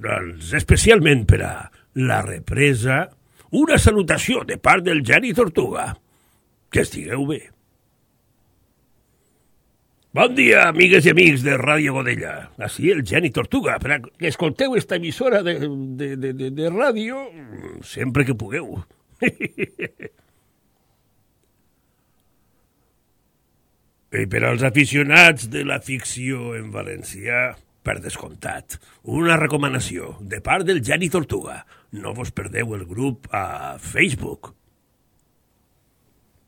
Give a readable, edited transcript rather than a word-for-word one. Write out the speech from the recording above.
Doncs especialment per a la represa, una salutació de part del Geni Tortuga. Que estigueu bé. Bon dia, amigues i amics de Ràdio Godella. Així el Geni Tortuga, per a que escolteu esta emissora de ràdio sempre que pugueu. I per als aficionats de la ficció en valencià, per descomptat, una recomanació de part del Geni Tortuga. No vos perdeu el grup a Facebook.